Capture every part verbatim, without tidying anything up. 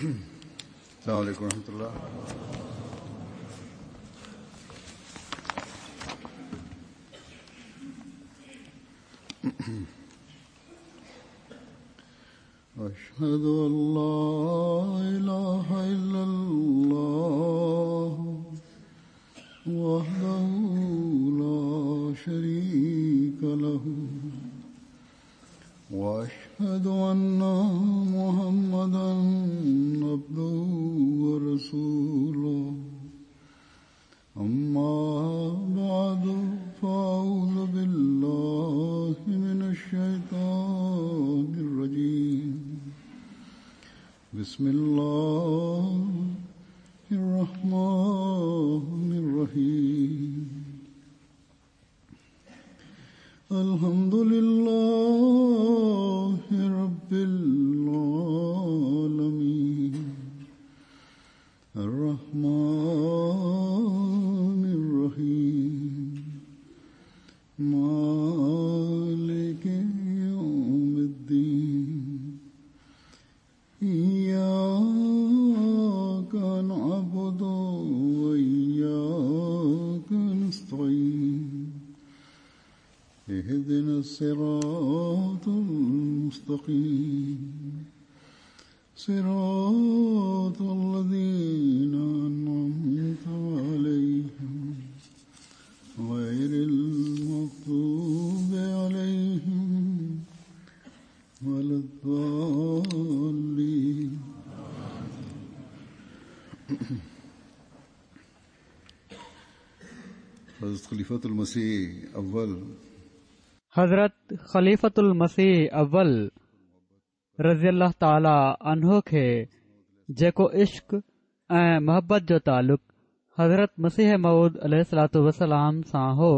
السلام عليكم ورحمة الله. أشهد أن لا إله إلا الله وحده لا شريك له وأشهد أن محمدا عبده ورسوله. أما بعد فأعوذ بالله من الشيطان الرجيم. بسم الله الرحمن الرحيم. الحمد لله رب العالمين الرحمن الرحيم مالك يوم الدين. إياك نعبد وإياك نستعين. اهدنا الصراط المستقيم صراط الذين أنعمت عليهم غير المغضوب عليهم ولا الضالين. حضرت خلیفۃ المسیح اول حضرت خليفة المسيح اول رضي الله تعالٰي عنه کي جيڪو عشق ۽ محبت جو تعلق حضرت مسيح موعود عليه الصلوة والسلام سان هو،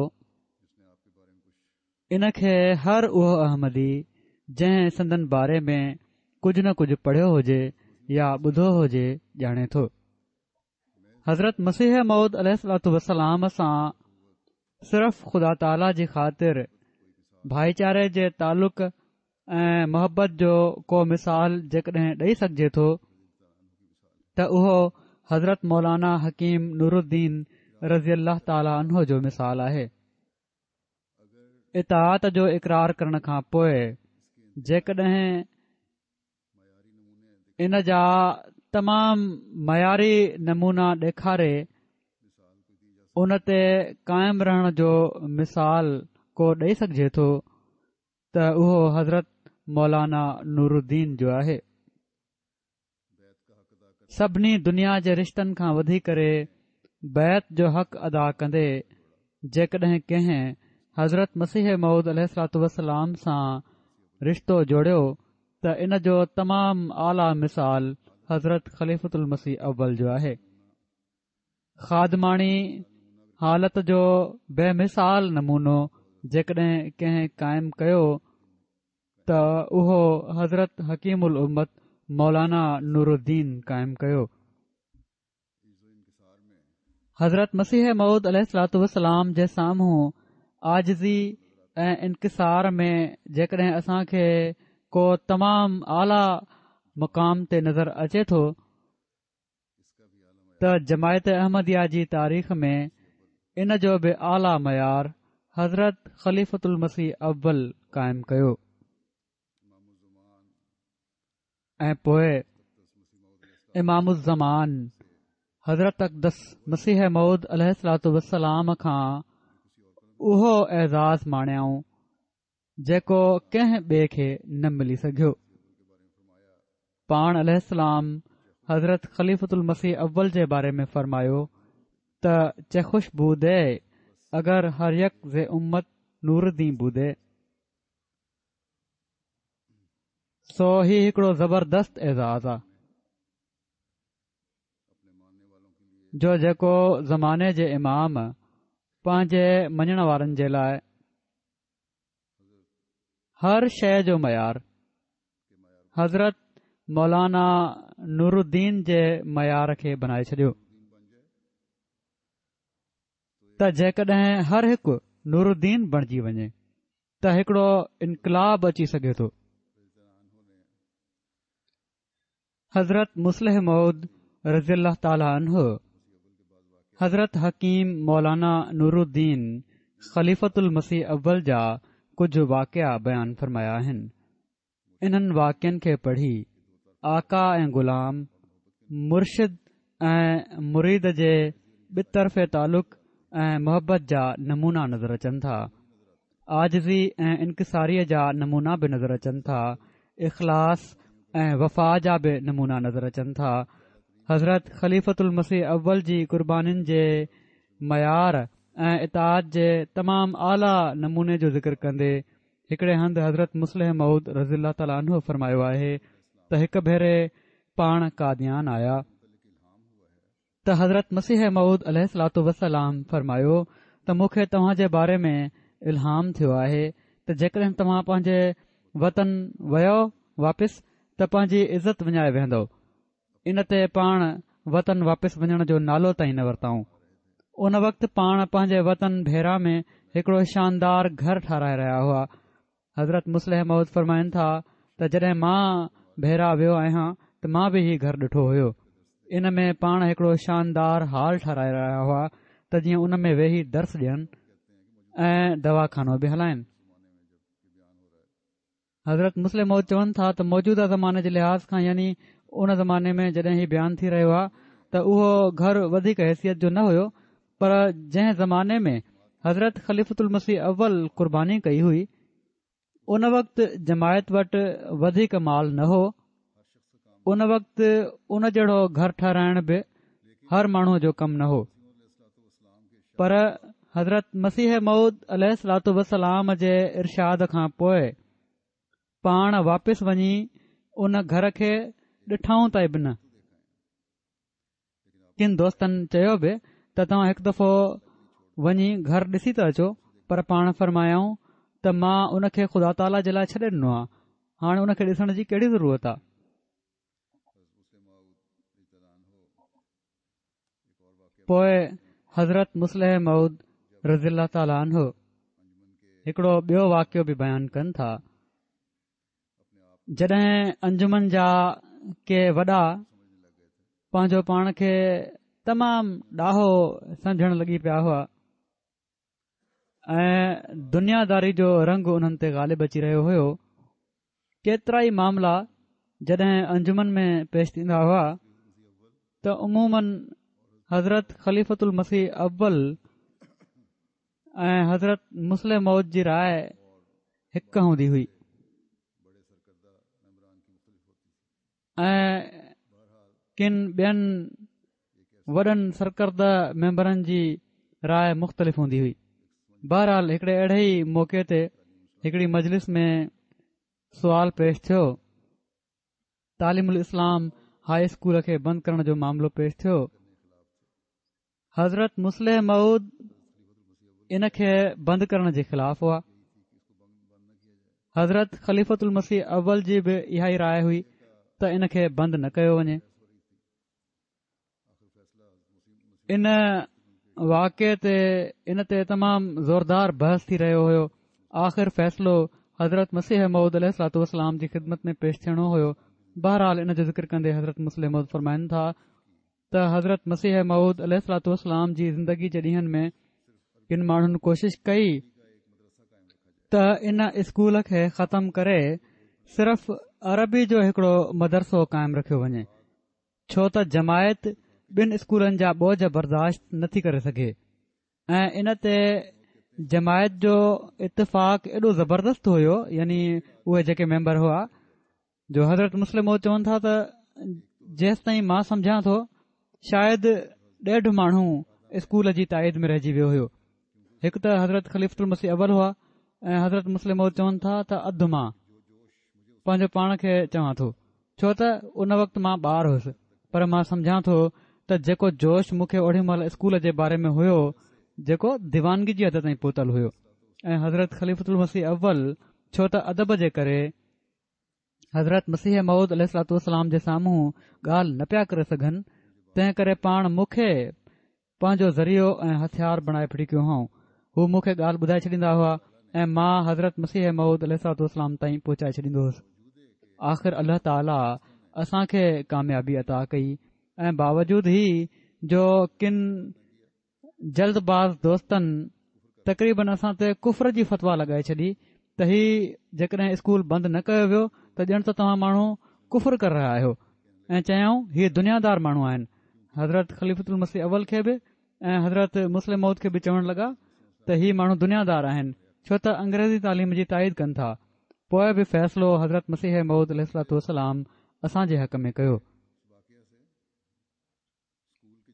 ان کي هر اهو احمدي جنهن سندن باري ۾ ڪجهه نه ڪجهه پڙهيو هجي يا ٻڌو هجي ڄاڻي ٿو. حضرت مسيح موعود عليه الصلوة والسلام سان صرف خدا تعاليٰ جي خاطر ڀائيچاري جي تعلق ۽ محبت جو ڪو مثال جيڪڏهن ڏئي سگهجي ٿو ته اهو حضرت مولانا حڪيم نور الدين رضي الله تعالٰي عنه جو مثال آهي. اطاعت جو اقرار ڪرڻ کان پوءِ جيڪڏهن ان جا تمام معياري نمونا ڏيکاري ان تي قائم رهڻ جو مثال ڪو ڏئي سگهجي ٿو ته اهو حضرت مولانا نور الدين جو آهي. سڀني دنيا جي رشتن کان وڌي ڪري بيعت جو حق ادا ڪندي جيڪڏهن ڪنهن حضرت مسيح موعود عليه الصلوة والسلام سان رشتو جوڙيو ته ان جو تمام اعليٰ مثال حضرت خليفة المسيح اول جو آهي. خادماڻي حالت جو بي مثال نمونو جيڪڏهن ڪنهن قائم ڪيو ته اهو حضرت حڪيم الامت مولانا نور الدين قائم ڪيو. حضرت مسيح موعود عليه الصلوة والسلام جي سامهون عاجزي ۽ انڪسار ۾ جيڪڏهن اسان کي ڪو تمام اعليٰ مقام تي نظر اچي ٿو ته جماعت احمديه جي تاريخ ۾ ان جو به اعليٰ معيار حضرت خليفة المسيح اول قائم ڪيو. ۽ پوءِ امام الزمان حضرت اقدس مسيح موعود عليه الصلوة والسلام کان اهو اعزاز ماڻيائون جيڪو ڪنهن ٻئي کي نه ملي سگهيو. پاڻ عليه السلام حضرت خليفة المسيح اول جي باري ۾ فرمايو ته چه خوش بودي اگر هر يڪ ز امت نور الدين بودي. سو هي هڪڙو زبردست اعزاز آ جو جيڪو زماني جي امام پنهنجي مڃڻ وارن جي لاءِ هر شيءِ جو معيار حضرت مولانا نور الدين جي معيار کي بڻائي ڇڏيو ته جيڪڏهن هر هڪ نور الدين بڻجي وڃي ته هڪڙو انقلاب اچي سگهي ٿو. حضرت مصلح موعود رضي الله تعالٰي عنه حضرت حڪيم مولانا نور الدين خليفة المسيح اول جا ڪجهه واقعا بيان فرمايا آهن. انهن واقعن کي پڙهي آقا ۽ غلام، مرشد ۽ مريد جي ٻطرفي تعلق ۽ محبت جا نمونا نظر اچن ٿا. عاجزي ۽ انڪساريء جا نمونا به نظر اچن ٿا. اخلاص ۽ وفا جا به نمونا نظر اچن ٿا. حضرت خليفة المسيح اول جي قربانين جي معيار ۽ اطاعت جي تمام اعليٰ نموني جو ذڪر ڪندي هڪڙي هنڌ حضرت مصلح موعود رضي الله تعالٰي عنه فرمايو آهي ته هڪ ڀيري پاڻ قاديان آيا ته حضرت مسيح موعود عليه الصلوة والسلام فرمايو ته مون کي توهان جي باري ۾ الهام ٿيو آهي ته جيڪڏهن توهان پنهنجي وطن ويو واپس ته پنهنجي عزت وڃائي ويهندؤ. ان تي پاڻ وطن واپس وڃڻ جو نالو تائين نه ورتائون. ان وقت پاڻ پنهنجي وطن ڀيرا ۾ هڪڙو شاندار گهر ٺهرائي رهيا هئا. حضرت مصلح موعود فرمائن ٿا ته جڏهن مان ڀيرا ويو آهيان ته مان به هي گهر ڏٺو هيو. ان ۾ پاڻ هڪڙو شاندار هال ٺهرائي رهيا هئا ته جيئن ان ۾ ويهي درس ڏين ۽ دواخانو به هلائين. حضرت مصلح موعود چون ٿا ته موجوده زماني جي لحاظ کان يعني ان زماني ۾ جڏهن هي بيان ٿي رهيو آهي ته اهو گهر وڌيڪ حيثيت جو نه هيو پر جنهن زماني ۾ حضرت خليفة المسيح اول قرباني ڪئي هئي ان وقت جماعت وٽ وڌيڪ مال نه هو. ان وقت ان جهڙو گهر ٺهرائڻ به هر ماڻهوء جو ڪم نه هو پر حضرت مسيح موعود عليه الصلوة والسلام جي ارشاد کان پوء پاڻ واپس وڃي ان گهر کي ڏٺائون تائين به نه. ڪن دوستن چيو به ته توهان هڪ دفعو وڃي گهر ڏسي ته اچو پر پاڻ فرمايائون ته مان ان کي خدا تعاليٰ جي لاء ڇڏي ڏنو آهي هاڻي ان کي ڏسڻ جي ڪهڙي ضرورت آهي. پوء حضرت مصلح موعود رضي الله تعالٰي عنه هڪڙو ٻيو واقعو به بيان ڪن ٿا. جڏهن انجمن جا ڪي وڏا پنهنجو پاڻ کي تمام ڏاهو سمجهڻ لڳي پيا هئا ۽ دنياداري جو رنگ انهن تي غالب اچي رهيو هيو، ڪيترائي معاملا جڏهن انجمن ۾ پيش ٿيندا هئا ته عموماً حضرت خليفة المسيح اول ۽ حضرت مصلح موعود جي راء هڪ هوندي هئي ۽ ڪن ٻين وڏن سرڪرده ميمبرن جي راء مختلف هوندي هئي. بهرحال هڪڙي اهڙي ئي موقعي تي هڪڙي مجلس ۾ سوال پيش ٿيو. تعليم الاسلام هاء اسڪول کي بند ڪرڻ جو معاملو پيش ٿيو. حضرت مصلح موعود ان کي بند ڪرڻ جي خلاف هئا. حضرت خليفة المسيح اول جي به اها ئي راء هئي ته ان کي بند نه ڪيو وڃي. ان واقعي تي ان تي تمام زوردار بحث ٿي رهيو هيو. آخر فيصلو حضرت مسيح موعود عليه الصلوة والسلام جي خدمت ۾ پيش ٿيڻو هيو. بهرحال ان جو ذڪر ڪندي حضرت مصلح موعود فرمائن ٿا ته حضرت مسيح موعود عليه الصلوة والسلام جي زندگي جي ڏينهن ۾ ڪن ماڻهن ڪوشش ڪئي ته ان اسڪول کي ختم ڪري صرف عربي جو هڪڙو مدرسو قائم رکيو وڃي، ڇو ته جماعت ٻن اسڪولن جا بوجه برداشت نٿي ڪري سگهي ۽ ان تي جماعت جو اتفاق ايڏو زبردست هيو، يعني اهي جيڪي ميمبر هئا، جو حضرت مصلح موعود چون ٿا ته جيستائين مان سمجهان ٿو شايد ڏيڍ ماڻهو اسڪول جي تائيد ۾ رهجي ويو هيو. هڪ ته حضرت خليفة المسيح اول هئا ۽ حضرت مصلح موعود چون ٿا ته اڌ مان پنهنجو پاڻ کي چوان ٿو، ڇو ته ان وقت مان ٻار هيس، پر مان سمجهان ٿو ته جيڪو جوش مون کي اوڏي مهل اسڪول جي باري ۾ هيو، جيڪو ديوانگي جي حد تائين پهتل هيو ۽ حضرت خليفة المسيح اول ڇو ته ادب جي ڪري حضرت مسيح موعود عليه الصلوة والسلام جي سامهون ڳالهه نه پيا ڪري سگهن، تنهن ڪري پاڻ مون کي پنهنجو ذريعو ۽ هٿيار بڻائي ڦٽي ڪيو هئائون. هو مون کي ڳالهه ٻڌائي ڇڏيندا هئا ۽ مان حضرت مسيح موعود عليه الصلوة والسلام تائين پهچائي ڇڏيندو هوس. آخر الله تعاليٰ اسان کي ڪاميابي عطا ڪئي ۽ باوجود هي جو ڪن جلد باز دوستن تقريبن اسان تي ڪفر جي فتويٰ لڳائي ڇڏي ته هي جيڪڏهن اسڪول بند نه ڪيو ويو ته ڄڻ ته توهان ماڻهو ڪفر ڪري رهيا آهيو ۽ چيائون هي دنيادار ماڻهو آهن. حضرت خليفة المسيح اول کي به ۽ حضرت مصلح موعود کي به چوڻ لڳا ته هي ماڻهو دنيادار آهن ڇو ته انگريزي تعليم جي تائيد ڪن ٿا. پوء به فيصلو حضرت مسيح موعود عليه الصلوة والسلام اسان جي حق ۾ ڪيو.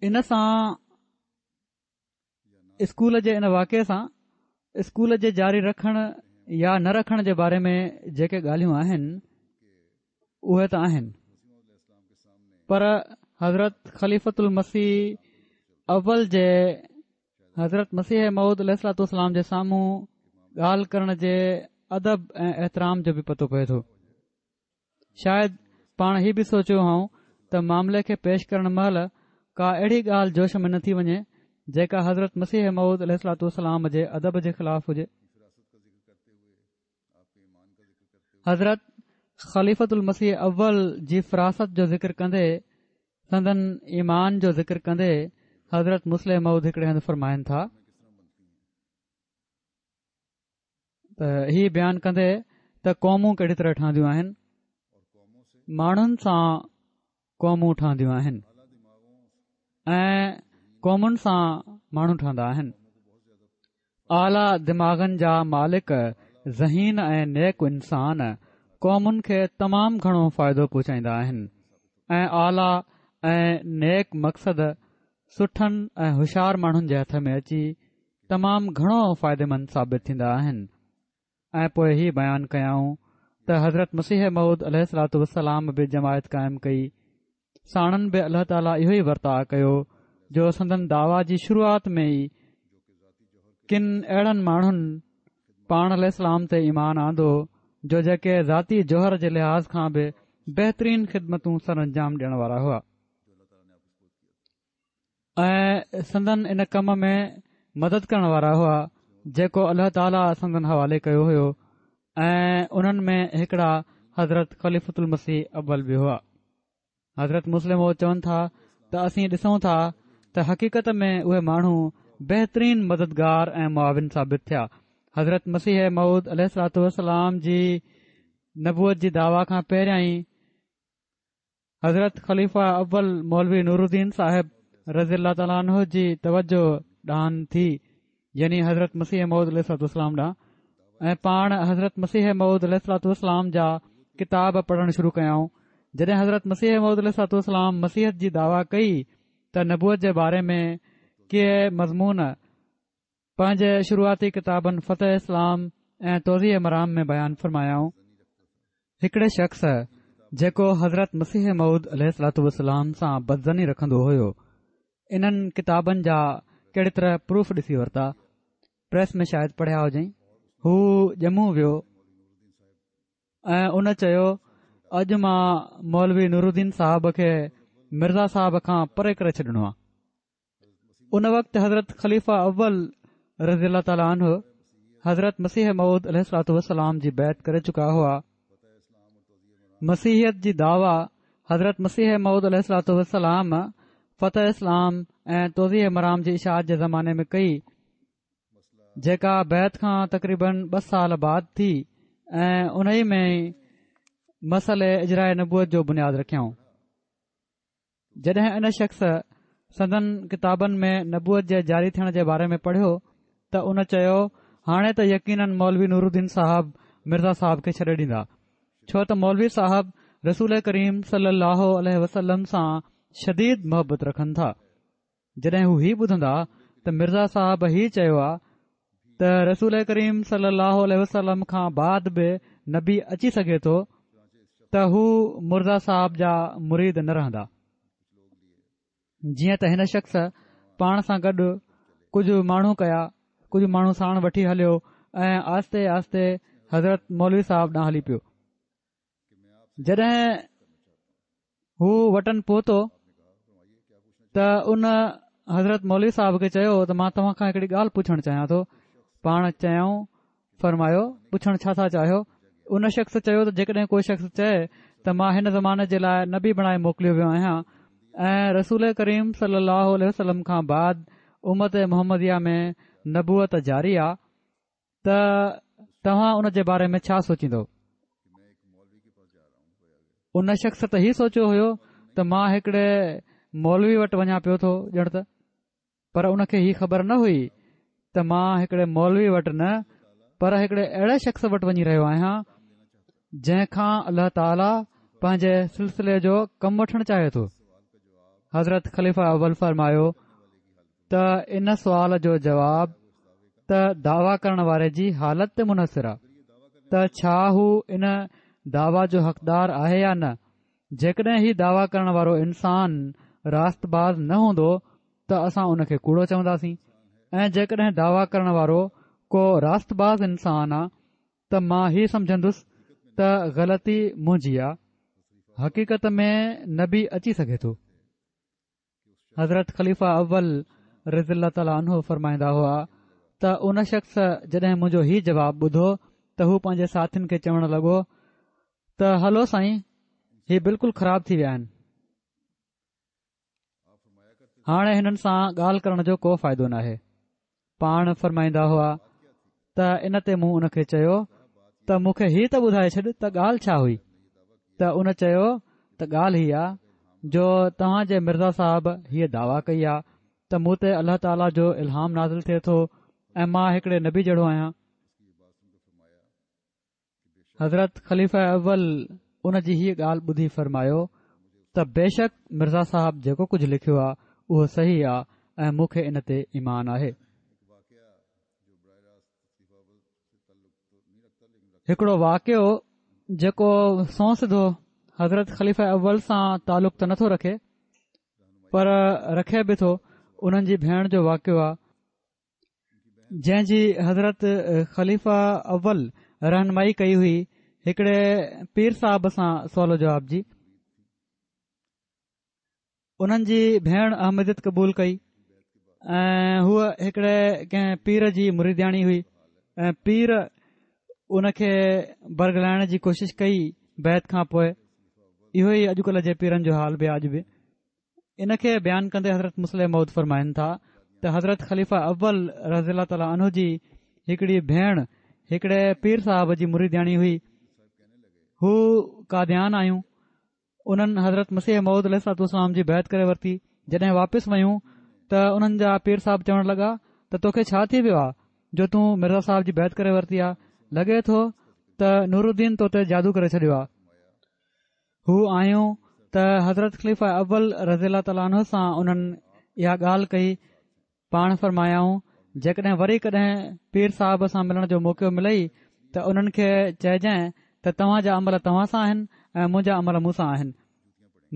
ان سان اسڪول جي ان واقعي سان اسڪول جي جاري رکڻ يا نه رکڻ جي باري ۾ جيڪي ڳالهيون آهن اهي ته آهن پر حضرت خليفة المسيح اول جي حضرت مسيح موعود عليه الصلوة والسلام جي سامهون ڳالهه ڪرڻ جي ادب ۽ احترام جو به پتو پئي ٿو. شايد پاڻ هي به سوچيو هئائون ته معاملي کي پيش ڪرڻ مهل ڪا اهڙي ڳالهه جوش ۾ نه ٿي وڃي جيڪا حضرت مسيح موعود عليه الصلوة والسلام جي ادب جي خلاف هجي. حضرت خليفة المسيح اول جي فراست جو ذڪر ڪندي سندن ايمان جو ذڪر ڪندي حضرت مصلح موعود هڪڙي هنڌ فرمائن ٿا ته هي بيان ڪندي ته قومون ڪهڙي طرح ٺهنديون آهن، ماڻهن سان قومون ٺهنديون آهن ۽ قومن سان ماڻهو ٺهندا آهن. اعليٰ دماغن جا مالڪ ذهين ۽ نيڪ انسان قومن کي تمام گهڻو فائدو پهچائيندا آهن ۽ اعليٰ ۽ نيڪ مقصد سٺن ۽ هوشيار ماڻهن جي هٿ ۾ اچي تمام گهڻو فائديمند ثابت ٿيندا آهن. ۽ پوء هي بيان ڪيائون ته حضرت مسيح موعود عليه الصلوة والسلام به جماعت قائم ڪئي، ساڻن به الله تعاليٰ اهو ئي ورتاء ڪيو جو سندن دعويٰ جي شروعات ۾ ئي ڪن اهڙن ماڻهن پاڻ عليه السلام تي ايمان آندو جو جيڪي ذاتي جوهر جي لحاظ کان به بهترين خدمتون سرانجام ڏيڻ وارا هئا ۽ سندن ان ڪم ۾ مدد ڪرڻ وارا هئا جيڪو الله تعاليٰ سندن حوالي ڪيو هيو ۽ انهن ۾ هڪڙا حضرت خليفة المسيح اول به هئا. حضرت مصلح موعود چون ٿا ته اسين ڏسون ٿا ته حقيقت ۾ اهي ماڻهو بهترين مددگار ۽ معاون ثابت ٿيا. حضرت مسيح موعود عليه الصلوة والسلام جي نبوت جي دعويٰ کان پهريائين حضرت خليفه اول مولوي نورالدين صاحب رضي الله تعالٰي عنه جي توجه ڏانهن ٿي يعني حضرت مسيح موعود عليه الصلوة والسلام ڏانهن ۽ پاڻ حضرت مسيح موعود عليه الصلوة والسلام جا ڪتاب پڙهڻ شروع ڪيائون. جڏهن حضرت مسيح موعود عليه الصلوة والسلام مسيحيت جي دعويٰ ڪئي ته نبوت جي باري ۾ ڪي مضمون پنهنجي شروعاتي ڪتابن فتح اسلام ۽ توضيح مرام ۾ بيان فرمايائون. هڪڙي شخص جيڪو حضرت مسيح موعود عليه الصلوة والسلام سان بدظني رکندو هيو انهن ڪتابن جا ڪهڙي طرح پروف ڏسي ورتا. پريس ۾ شايد پڙهيا هجئين. هو ڄمون ويو ۽ ان چيو اڄ مان مولوي نورالدين صاحب کي مرزا صاحب کان پري ڪري ڇڏڻو آ. ان وقت حضرت خليفه اول رضي الله تعالٰي عنه حضرت مسيح موعود عليه الصلوة والسلام جي بيعت ڪري چڪا هئا. مسيحيت جي دعويٰ حضرت مسيح موعود عليه الصلوة والسلام فتح اسلام ۽ توضيح مرام جي اشاعت جي زماني ۾ ڪئي جيڪا بيعت کان تقريبن ٻه سال بعد ٿي ۽ انهي ۾ ئي مسئلي اجراء نبوت جو بنياد رکيائون. جڏهن ان شخص سندن ڪتابن ۾ نبوت جي جاري ٿيڻ جي باري ۾ پڙهيو ته ان چيو هاڻي ته يقينن مولوي نورالدين صاحب مرزا صاحب کي ڇڏي ڏيندا ڇو ته مولوي صاحب رسول ڪريم صلي الله عليه وسلم سان شديد محبت رکن ٿا. جڏهن هو هي ٻڌندا ته مرزا صاحب هي چيو آ ته رسول ڪريم صلي الله عليه وسلم کان بعد به نبي اچي سگهي ٿو ته هو مرزا صاحب جا مريد نه رهندا. جيئن ته هن شخص پاڻ سان گڏ ڪجهه ماڻهو ڪيا، ڪجهه ماڻهو ساڻ وٺي هليو ۽ آهستي آهستي حضرت مولوي صاحب ڏانهن هلي پيو. جڏهن هو وٽن پهتو ته ان حضرت مولوي صاحب کي چيو ته مان توهان کان هڪڙي ڳالهه پڇڻ چاهيان ٿو. پاڻ چيائون، فرمايو، پڇڻ ڇا ٿا چاهيو؟ ان شخص چيو ته جيڪڏهن ڪو شخص چئي ته مان هن زماني جي لاءِ نبي بڻائي موڪليو ويو آهيان ۽ رسول ڪريم صلي الله عليه وسلم کان بعد امت محمديه ۾ نبوت جاري آ ته توهان ان جي باري ۾ ڇا سوچيندو؟ ان شخص ته هي سوچيو هيو ته مان هڪڙي مولوي وٽ وڃان پيو ٿو ڄڻ ته، پر ان کي هي خبر نه هئي ته مان هڪڙي مولوي وٽ نه پر هڪڙي اهڙي شخص وٽ وڃي رهيو آهيان جنهن کان الله تعاليٰ پنهنجي سلسلي جو ڪم وٺڻ چاهي ٿو. حضرت خليفه اول فرمايو ته ان سوال جو جواب ته دعويٰ ڪرڻ واري جي حالت تي منحصر آ ته ڇا هو ان دعويٰ جو حقدار آهي يا نه. جيڪڏهن هي دعويٰ ڪرڻ وارو انسان راست باز نه هوندو ته اسان ان کي ڪوڙو چونداسين ۽ جيڪڏهن دعويٰ ڪرڻ وارو ڪو راست باز انسان آ ته مان هي سمجهندس ته غلطي منهنجي آ، حقيقت ۾ نبي اچي سگهي ٿو. حضرت خليفه اول رضي الله تعالٰي عنه فرمائيندا هئا ته ان شخص جڏهن منهنجو هي جواب ٻڌو ته هو پنهنجي ساٿين کي چوڻ لڳو ته هلو سائين هي بلڪل خراب ٿي ويا آهن، هاڻي هنن سان ڳالهه ڪرڻ جو ڪو فائدو ناهي. پاڻ فرمائيندا هئا ته ان تي مون ان کي چيو ته مون کي هي ته ٻڌائي ڇڏ ته ڳالهه ڇا هئي؟ ته ان چيو ته ڳالهه هي آ جو توهان جي مرزا صاحب هيء دعويٰ ڪئي آ ته مون تي الله تعاليٰ جو الهام نازل ٿئي ٿو ۽ مان هڪڙي نبي جهڙو آهيان. حضرت خليفه اول ان جي هيء ڳالهه ٻڌي فرمايو ته بيشڪ مرزا صاحب جيڪو ڪجهه لکيو آ اهو صحيح آ ۽ مون کي ان تي ايمان آهي. هڪڙو واقعو جيڪو سنئون سڌو حضرت خليفه اول سان تعلق ته نٿو رکي پر رکي به ٿو، انهن جي ڀيڻ جو واقعو آ جنهن جي حضرت خليفه اول رهنمائي ڪئي هئي هڪڙي پير صاحب سان سوال و جواب جي. انهن جي ڀيڻ احمديت قبول ڪئي ۽ هوء هڪڙي ڪنهن پير جي مريدياڻي هئي ۽ پير ان کي برغلائڻ جي ڪوشش ڪئي بيعت کان پوءِ. اهو ئي اڄڪلهه جي پيرن جو حال به آ اڄ به. ان کي بيان ڪندي حضرت مصلح موعود فرمائن ٿا ته حضرت خليفه اول رضي الله تعالٰي عنه جي هڪڙي ڀيڻ هڪڙي پير صاحب جي مريدياڻي هئي. هو قاديان آيون. انهن حضرت مسيح موعود عليه الصلوة والسلام جي بيعت ڪري ورتي. جڏهن واپس ويون ته انهن جا پير صاحب چوڻ لڳا ته توکي ڇا ٿي ويو آ جو تون مرزا صاحب جي بيعت ڪري ورتي آ، لڳي ٿو ته نورالدين تو تي جادو ڪري ڇڏيو آ. هو آيون ته حضرت خليفه اول رضي الله تعالٰي عنه سان انهن اها ڳالهه ڪئي. پاڻ فرمايائون جيڪڏهن وري ڪڏهن پير صاحب سان ملڻ جو موقعو ملئي ته انهن کي چئجانء ته توهان جا عمل توهان سان آهن ۽ منهنجا عمل مون سان آهن.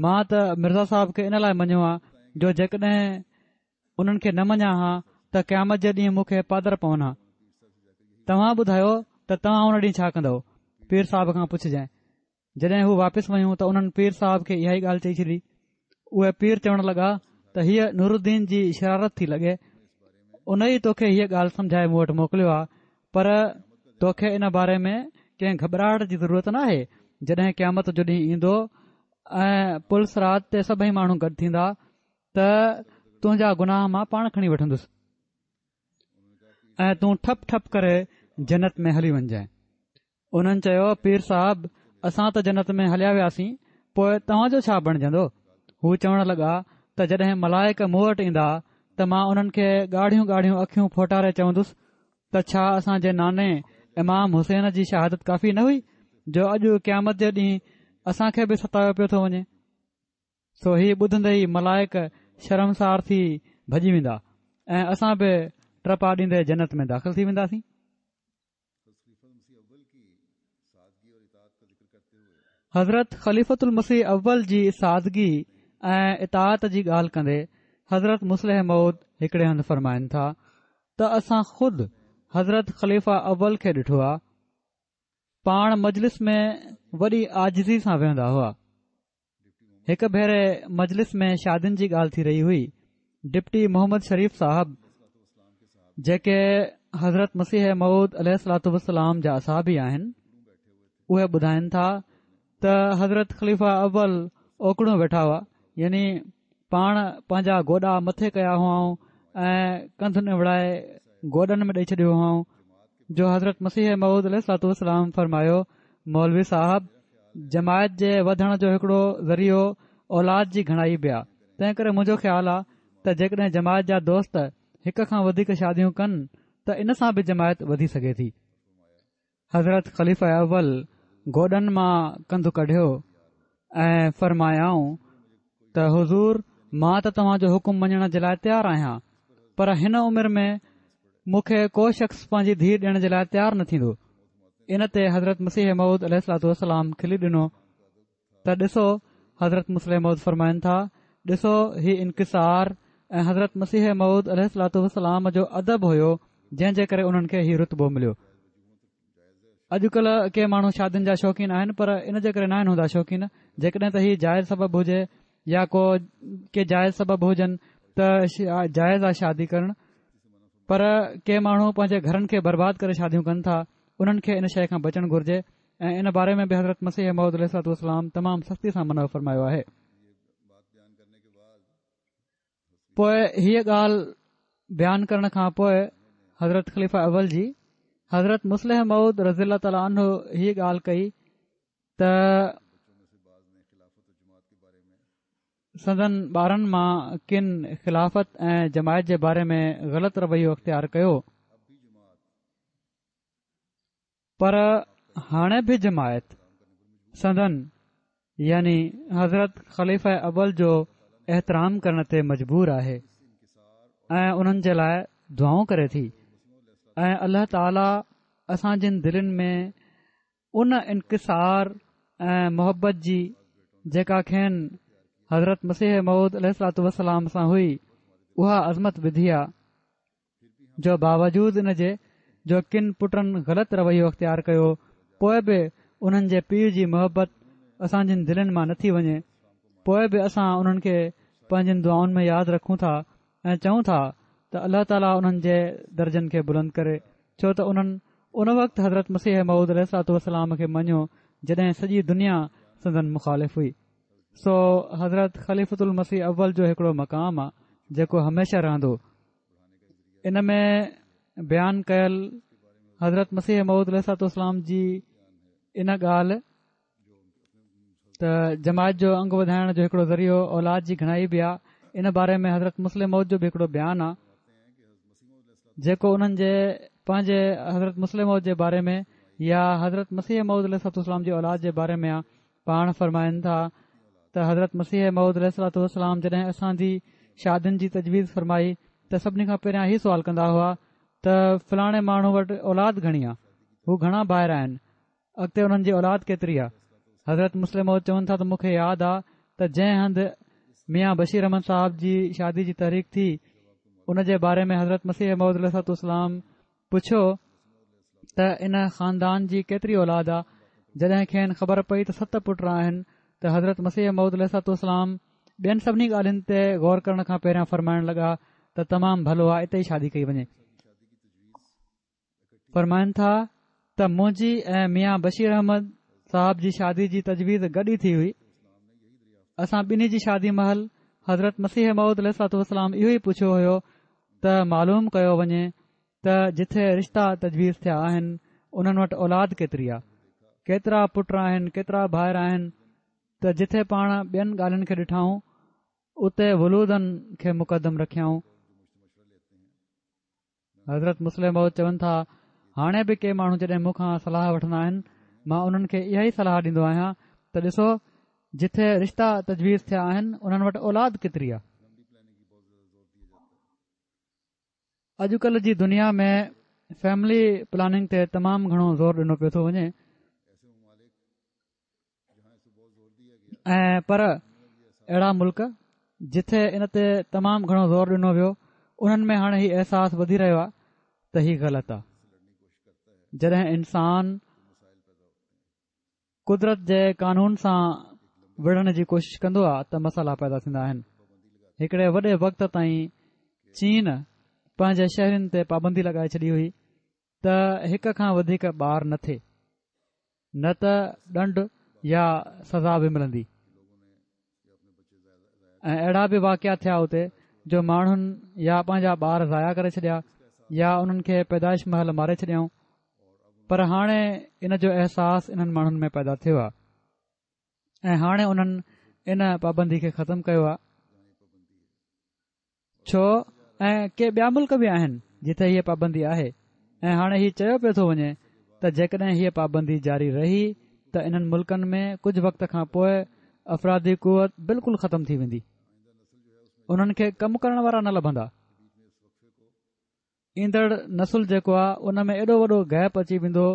مان ته مرزا صاحب کي ان لاءِ مڃيو آ جو جيڪڏهن انهن کي نه مڃان ها ته قيامت جي ڏينهن مون کي پادر پون ها. توهان ٻڌايو ته توهان ان ڏينهن ڇا ڪندؤ؟ پير صاحب کان پڇجانء. جڏهن هو واپس ويون ته انهن پير صاحب کي اها ئي ڳالهه چئي ڇڏي. اهي پير چوڻ لڳا ته هيء نورالدين جي شرارت ٿي لڳي، ان ئي توکي هيء ڳالهه سمجهائي مون وٽ موڪليو آ، پر توکي ان باري ۾ ڪنهن گهٻراهٽ جي ضرورت ناهي. جڏهن قيامت جو ڏينهن ايندو ۽ پل صراط تي سڀئي ماڻهو گڏ ٿيندا ته تنهنجا گناهه مان پاڻ کڻي وٺندس ۽ تون ٺپ ٺپ ڪري جنت ۾ هلي وڃجانء. انهن چيو پير صاحب اسان ته جنت ۾ هليا وياسين پوءِ توهان جو ڇا بڻجندو؟ هو چوڻ لڳا ته جڏهن ملائڪ مون وٽ ايندا ته مان انهن کي ڳاڙهيون ڳاڙهيون اکيون ڦوٽاري چوندس ته ڇا اسان جي ناني امام حسين جي شهادت ڪافي نه هئي جو اڄ قيامت جي ڏينهن اسان کي به ستايو پيو ٿو وڃي؟ سو هي ٻڌندي ئي ملائڪ شرمسار ٿي ڀڄي ويندا ۽ اسان به ٽپا ڏيندي جنت ۾ داخل ٿي وينداسين. حضرت خليفة المسيح اول جي سادگي ۽ اطاعت جي ڳالهه ڪندي حضرت مصلح موعود هڪڙي هنڌ فرمائن ٿا ته اسان خود حضرت خليفه اول کي ڏٺو آ، پاڻ مجلس ۾ وڏي عاجزي سان ويهندا هئا. هڪ ڀيري مجلس ۾ شادين جي ڳالهه ٿي رهي هئي. ڊپٽي محمد شريف صاحب جيڪي حضرت مسيح موعود عليه الصلوة والسلام جا اصحابي آهن، اهي ٻڌائن ٿا ته حضرت خليفه اول اوڪڙون ويٺا هئا، يعني پاڻ پنهنجا گوڏا مٿي ڪيا هئائون ۽ ڪنڌ نوڙائي گوڏن ۾ ڏئي ڇڏيو هئائون، جو حضرت مسيح موعود عليه الصلوة والسلام فرمايو، مولوي صاحب، جماعت جي وڌڻ جو هڪڙو ذريعو اولاد جي گهڻائي به آ، تنهن ڪري منهنجو خيال آ ته جيڪڏهن جماعت جا دوست هڪ کان وڌيڪ شاديون ڪن ته ان سان به جماعت وڌي سگهي ٿي. حضرت خليفه اول گوڏن مان ڪنڌ ڪڍيو ۽ فرمايائون ته حضور، مان ته توهان جو حڪم مڃڻ جي لاء تيار آهيان، پر هن عمر ۾ مون کي ڪو شخص پنهنجي ڌيء ڏيڻ جي لاء تيار نه ٿيندو. ان تي حضرت مسيح موعود عليه الصلوة والسلام کلي ڏنو ته ڏسو، حضرت مصلح موعود فرمائن ٿا، ڏسو هي انڪسار ۽ حضرت مسيح موعود عليه الصلوة والسلام جو ادب هيو جنهن جي ڪري انهن کي هي رتبو مليو. اڄڪلهه ڪي ماڻهو شادين جا شوقين آهن پر ان جي ڪري ناهن هوندا شوقين، جيڪڏهن ته هي جائز سبب هجي يا ڪو ڪي جائز سبب هجن ته جائز آ شادي ڪرڻ، پر ڪي ماڻهو پنهنجي گهرن کي برباد ڪري شاديون ڪن ٿا، انهن کي ان شيء کان بچڻ گهرجي ۽ ان باري ۾ به حضرت مسيح موعود عليه الصلوة والسلام تمام سختي سان منع فرمايو آهي. پوء هيء ڳالهه بيان ڪرڻ کان پوء حضرت خليفه اول جي حضرت مصلح موعود رضي الله تعالٰي عنه هيء ڳالهه ڪئي ته سندن ٻارن مان ڪن خلافت ۽ جماعت جي باري ۾ غلط رويو اختيار ڪيو، پر هاڻي به جماعت سندن يعني حضرت خليفه اول جو احترام ڪرڻ تي مجبور آهي ۽ انهن جي لاء دعائون ڪري ٿي ۽ الله تعاليٰ اسان جن دلين ۾ ان انڪسار ۽ محبت جي جيڪا کين حضرت مسيح موعود عليه الصلوة والسلام سان هئي اها عظمت وڌي آ، جو باوجود ان جي جو ڪن پٽن غلط رويو اختيار ڪيو پوء به انهن جي پيء جي محبت اسان جن دلين مان نٿي وڃي، پوء به اسان انهن کي پنهنجين دعائن ۾ ياد رکون ٿا ۽ چئون ٿا ته الله تعاليٰ انهن جي درجن کي بلند ڪري، ڇو ته انهن ان وقت حضرت مسيح موعود عليه الصلوة والسلام کي مڃيو جڏهن سڄي دنيا سندن مخالف هئي. سو حضرت خليفة المسيح اول جو هڪڙو مقام آ جيڪو هميشه رهندو. ان ۾ بيان ڪيل حضرت مسيح موعود عليه الصلوة والسلام جي ان ڳالهه ته جماعت جو انگ وڌائڻ جو هڪڙو ذريعو اولاد جي گهڻائي به آ، ان باري ۾ حضرت مصلح موعود جو به هڪڙو بيان آ جيڪو انهن جي پنهنجي حضرت مصلح موعود جي باري ۾ يا حضرت مسيح موعود عليه الصلوة والسلام جي اولاد جي باري ۾ آ. پاڻ فرمائن ٿا ته حضرت مسيح موعود عليه الصلوة والسلام جڏهن اسان جي شادين جي تجويز فرمائي ته سڀني کان پهريان هي سوال ڪندا هئا ته فلاڻي ماڻهو وٽ اولاد گهڻي آ، هو گهڻا ڀائر آهن، اڳتي انهن جي اولاد ڪيتري آ. حضرت مصلح موعود چون ٿا ته مون کي ياد آ ته جنهن هنڌ ميان بشير احمد صاحب جي شادي جي تحريڪ ٿي ان جي باري ۾ حضرت مسيح موعود عليه الصلوة والسلام پڇيو ته ان خاندان جي ڪيتري اولاد آ، جڏهن کين خبر پئي ته ست پٽ آهن ته حضرت مسيح موعود عليه الصلوة والسلام ٻين سڀني ڳالهين تي غور ڪرڻ کان پهريان فرمائڻ لڳا ته تمام ڀلو آ اتي ئي شادي ڪئي وڃي. فرمائن ٿا ته منهنجي ۽ ميان بشير احمد صاحب جي شادي جي تجويز گڏ ئي ٿي هئي. اسان ٻنهي جي شادي مهل حضرت مسيح موعود عليه الصلوة والسلام اهو ئي پڇيو هيو ته معلوم ڪيو وڃي ته جٿي رشتا تجويز ٿيا آهن انهن وٽ اولاد ڪيتري آ، ڪيترا پٽ آهن، ڪيترا ڀائر آهن ته جٿي پاڻ ٻين ڳالهين کي ڏٺائون اتي ولودن کي مقدم رکيائون. حضرت مصلح موعود چون ٿا، هاڻي به ڪي ماڻهو جڏهن مون کان صلاح وٺندا آهن مان انهن کي اها ئي صلاح ڏيندو آهيان ته ڏسو جٿي رشتا تجويز ٿيا آهن انهن وٽ اولاد ڪيتري آ. اڄڪلهه جي دنيا ۾ فيملي پلاننگ تي تمام گهڻو زور ڏنو پيو ٿو وڃي ۽ پر اهڙا ملڪ جٿي ان تي تمام گهڻو زور ڏنو ويو انهن ۾ هاڻي هي احساس وڌي رهيو آهي ته هي غلط آهي. جڏهن انسان قدرت جي قانون سان وڙهڻ جي ڪوشش ڪندو آهي ته مسئلا پيدا ٿيندا آهن. هڪڙي وڏي وقت تائين چين پنهنجي شهرين تي پابندي لڳائي ڇڏي هئي ته هڪ کان وڌيڪ ٻار نه ٿئي، نه ته ڏنڊ يا سزا به ملندي. ۽ اهڙا به واقعا ٿيا اتي جو ماڻهن يا پنهنجا ٻار ضايع ڪري ڇڏيا يا انهن کي پيدائش مهل ماري ڇڏيائون. پر هاڻي ان جو احساس انهن ماڻهن ۾ پيدا ٿيو آهي ۽ هاڻي انهن ان پابندي کي ختم ڪيو آهي. ڇو ۽ ڪي ٻيا ملڪ به آهن جتي هيء پابندي آهي ۽ هاڻي هي چيو پيو ٿو وڃي ته جيڪڏهن هيء پابندي جاري رهي ته انهن ملڪن ۾ ڪجهه وقت کان پوءِ افرادي قوت بلڪل ختم ٿي ويندي، انهن کي ڪم ڪرڻ وارا نه لڀندا. ايندڙ نسل جيڪو آهي ان ۾ ايڏو وڏو گيپ اچي ويندو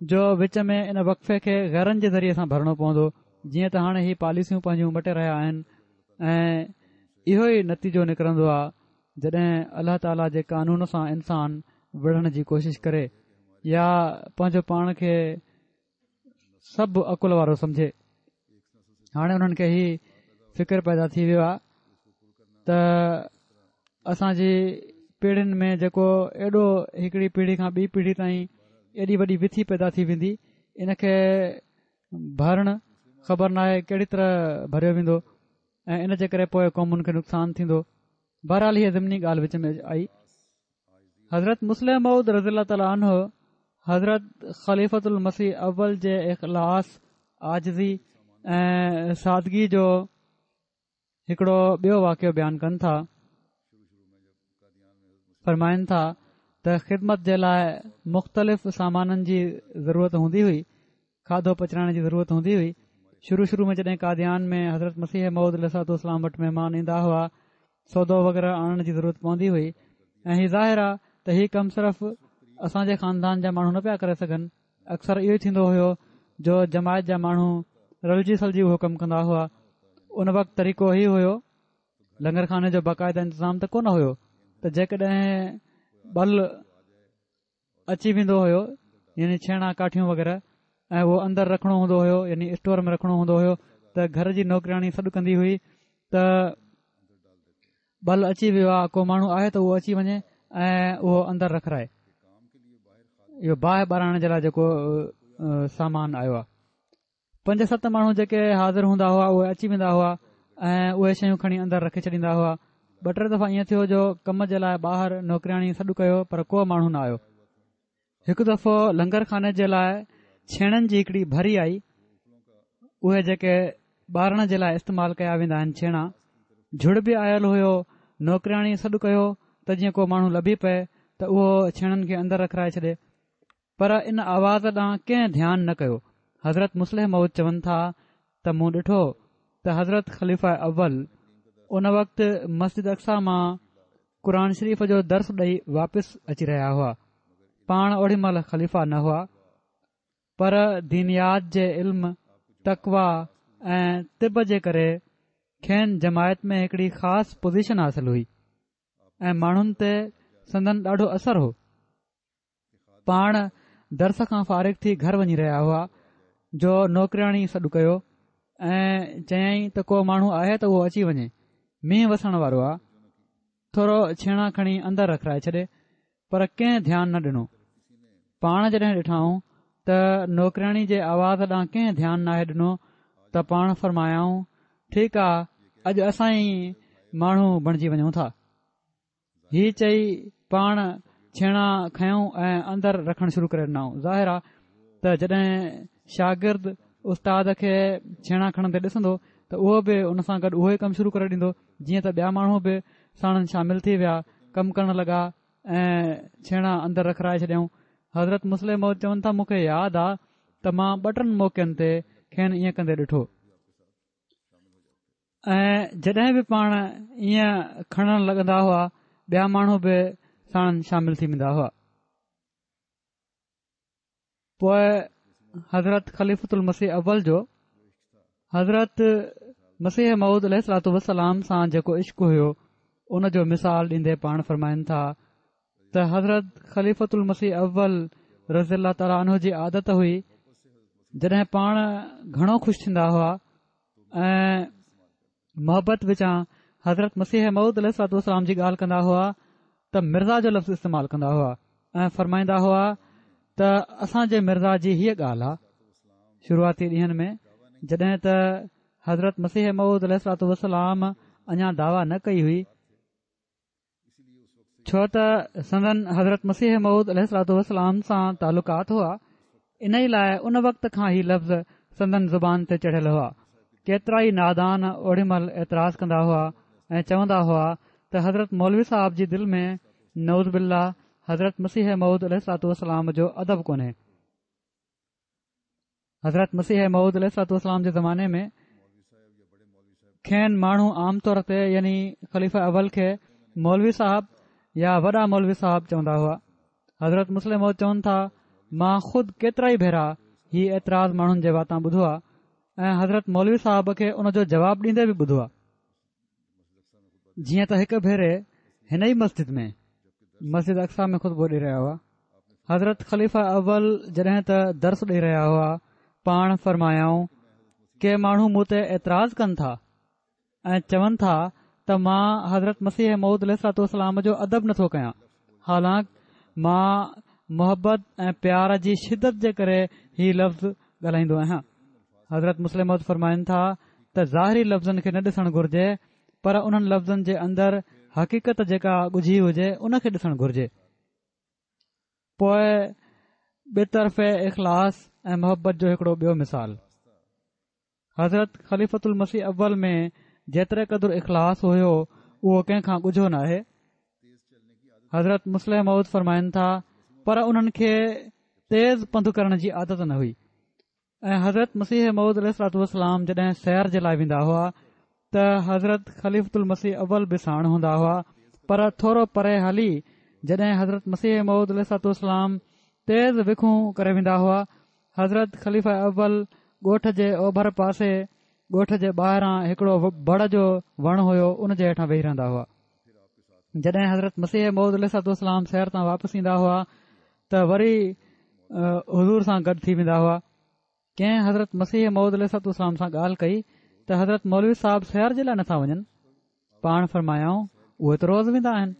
جو وچ ۾ ان وقفي کي غيرن جي ذريعي سان ڀرڻو پوندو. جيئن ته هاڻي هي پاليسيون پنهنجون مٽي رهيا آهن ۽ اهو ئي نتيجو نڪرندو آهي جڏهن الله تعاليٰ جي قانون سان انسان وڙهڻ جي ڪوشش ڪري يا پنهنجو پاڻ کي سڀ عقل وارو سمجهي. هاڻي انهن کي هي فڪر پيدا ٿي ويو آهي ته اسان جي پيڙهين ۾ جيڪو ايڏو هڪڙي پيڙهي کان ٻي پيڙهي تائين ايڏي وڏي وٿي پيدا ٿي ويندي، ان کي ڀرڻ خبر نه آهي ڪهڙي طرح ڀريو ويندو ۽ ان جي ڪري پوءِ قومن کي نقصان ٿيندو. بهرحال هيءَ ضمني ڳالهه وچ ۾ آئي. حضرت مصلح موعود رضي الله تعاليٰ عنه حضرت خليفة المسيح اول جي اخلاص، عاجزي ۽ سادگي جو هڪڙو ٻيو واقعو بيان ڪن ٿا. فرمائن ٿا ته خدمت جي لاءِ مختلف سامانن جي ضرورت هوندي هئي، کاڌو پچائڻ جي ضرورت هوندي هئي. شروع شروع ۾ جڏهن قاديان ۾ حضرت مسيح موعود عليه الصلوة والسلام وٽ مهمان ايندا هئا، سودو وغيره آڻڻ جي ضرورت پوندي هئي ۽ هي ظاهر آهي ته هي ڪم صرف اسان جي خاندان جا ماڻهو نه پيا ڪري سگهن. اڪثر اهو ئي ٿيندو هيو جو جماعت جا ماڻهو رلجي سلجي اهو ڪم ڪندا هئا. ان وقت طريقو هي هيو، لنگر خاني جو باقاعده انتظام ته ڪونه هيو ته جيڪڏهن ٻل اچي ويندو هيو يعني ڇيڻا ڪاٺيون وغيره ۽ اهو اندر رکڻو هوندو هيو يعني اسٽور ۾ رکڻو هوندو هيو ته گهر جي نوڪرياڻي سڏ ڪندي هئي ته ٻل اچي ويو آهي، ڪو ماڻهو آهي ته اهو اچي وڃي ۽ اهو اندر رکرائي. اهو باهه ٻارائڻ جي لاءِ جيڪو سامان آيو آهي. پنج ست ماڻهو جيڪي حاضر هوندا هئا اهي اچي ويندا هئا ۽ اهي شيون کڻي اندر رکي ڇڏيندا هئا. ٻه ٽي دفعا ائين ٿيو جو ڪم جي لاءِ ٻاهر نوڪرياڻي سڏ ڪيو پر ڪو ماڻهو نه آيو. هڪ دفعو لنگر خاني جي لاءِ ڇيڻن جي هڪڙي ڀري آئي، اهي جيڪي ٻارڻ جي لاءِ استعمال ڪيا ويندا آهن ڇيڻا، جهڙ به آيل هيو. نوڪرياڻي سڏ ڪيو ته جيئن ڪو ماڻهو لڀي پئي ته اهو ڇيڻن کي اندر رکرائي ڇڏي، پر ان آواز ڏانهن ڪنهن ڌيان نه ڪيو. حضرت مصلح موعود چون ٿا ته مون ڏٺو ته حضرت خليفه اول ان وقت مسجد اقصيٰ مان قرآن شريف جو درس ڏئي واپس اچي رهيا هئا. پاڻ اوڏي مهل خليفه نه هئا، پر دينيات جي علم، تقويٰ ۽ طب جي ڪري کين جماعت ۾ هڪڙي خاص پوزيشن حاصل هئي ۽ ماڻهن تي سندن ڏاڍو اثر هو. پاڻ درس کان فارغ ٿي گهر وڃي رهيا هئا جو نوڪرياڻي سڏ ڪيو ۽ چيائين ته ڪو ماڻهو آهي ته اهو اچي وڃي، مينهن وسڻ وارو آهي، ٿورو ڇيڻا کڻي اندر رکرائي ڇڏي. پر ڪنهن ڌيان نه ڏنو. پاڻ جڏهن ڏٺائون ته نوڪرياڻي جي آواز ڏانهن ڪنهن ڌيان ناهي ڏنو ته پاڻ فرمايائون، ٺيڪ آهي، اڄ اسان ئي ماڻهو بڻجي وڃون ٿا. هي چئي پاڻ ڇيڻا کنيائون ۽ اندر رکڻ شروع ڪري ڏنائون. ظاهر آهي ته جڏهن شاگرد استاد کي ڇيڻا کڻندي ڏسندو ته اهو به ان سان گڏ اهو ئي ڪم شروع ڪري ڏيندو. جيئن ته ٻيا ماڻهو به ساڻن شامل ٿي ويا، ڪم ڪرڻ لڳا ۽ ڇيڻا اندر رکرائي ڇڏيائون. حضرت مصلح موعود چون ٿا مون کي ياد آ ته مان ٻه ٽن موقعن تي کين ائين ڪندي ڏٺو ۽ جڏهن به پاڻ ائين کڻڻ لڳندا هئا ٻيا ماڻهو به ساڻن شامل ٿي ويندا هئا. پوءِ حضرت خليفة المسيح اول جو حضرت مسيح موعود عليه الصلوة والسلام سان جيڪو عشق هيو ان جو مثال ڏيندي پاڻ فرمائن ٿا ته حضرت خليفة المسيح اول رضي الله تعاليٰ عنه جي عادت هئي جڏهن پاڻ گهڻو خوش ٿيندا هئا ۽ محبت وچان حضرت مسيح موعود عليه الصلوة والسلام جي ڳالهه ڪندا هئا ته مرزا جو لفظ استعمال ڪندا هئا ۽ فرمائيندا هئا ته اسان جي مرزا جي هيءَ ڳالهه آهي. شروعاتي ڏينهن ۾ جڏهن ته حضرت مسيح موعود عليه الصلوة والسلام اڃا دعويٰ نه ڪئي هئي، ڇو ته سندن حضرت مسيح موعود عليه الصلوة والسلام سان تعلقات هئا، ان ئي لاء ان وقت کان هي لفظ سندن زبان تي چڙهيل هئا. ڪيترا ئي نادان اوڏي مهل اعتراض ڪندا هئا ۽ چوندا هئا ته حضرت مولوي صاحب جي دل ۾ نعوذ بالله حضرت مسيح موعود عليه الصلوة والسلام جو ادب ڪونهي. حضرت مسيح موعود عليه الصلوة والسلام جي زماني ۾ کين ماڻهو عام طور تي يعني خليفه اول کي مولوي صاحب يا وڏا مولوي صاحب چوندا هئا. حضرت مصلح موعود چون ٿا مان خود ڪيترا ئي ڀيرا هي اعتراض ماڻهن جي واتان ٻڌو آهي ۽ حضرت مولوي صاحب کي ان جو جواب ڏيندي به ٻڌو آهي. جيئن ته هڪ ڀيري هن ئي مسجد ۾ مسجد اقصيٰ ۾ خطبو ڏئي رهيا هئا. حضرت خليفه اول جڏهن ته درس ڏئي رهيا هئا پاڻ فرمايائون ڪي ماڻهو مون تي اعتراض ڪن ٿا ۽ چون ٿا ته مان حضرت مسيح موعود عليه الصلوة والسلام جو ادب نٿو ڪيان، حالانڪ مان محبت ۽ پيار جي شدت جي ڪري هي لفظ ڳالهائيندو آهيان. حضرت مصلح موعود فرمائن ٿا ته ظاهري لفظن کي نه ڏسڻ گهرجي پر انهن لفظن جي اندر حقيقت جيڪا ڳجهي هجي ان کي ڏسڻ گهرجي. پوء ٻه طرفي اخلاص ۽ محبت جو هڪڙو ٻيو مثال حضرت خليفة المسيح اول ۾ جيتري قدر اخلاص هيو اهو ڪنهن کان ڳجهو ناهي. حضرت مصلح موعود فرمائن ٿا پر انهن کي تيز پنڌ ڪرڻ جي عادت نه هئي ۽ حضرت مسيح موعود عليه الصلوة والسلام جڏهن سير جي لاء ويندا هئا ته حضرت خليفة المسيح اول به ساڻ هوندا هئا، پر ٿورو پري هلي جڏهن حضرت مسيح موعود عليه الصلوة والسلام تيز وکون ڪري ويندا هئا، حضرت خليفه اول ڳوٺ جي اوڀر پاسي ڳوٺ جي ٻاهران هڪڙو بڙ جو وڻ هيو ان جي هيٺان ويهي رهندا هئا. جڏهن حضرت مسيح موعود عليه الصلوة والسلام سير تان واپس ايندا هئا ته وري حضور سان گڏ ٿي ويندا هئا. ڪنهن حضرت مسيح موعود عليه الصلوة والسلام سان ڳالهه ڪئي ته حضرت مولوي صاحب سير جي لاء نٿا وڃن؟ پاڻ فرمايائون اهي ته روز ويندا آهن.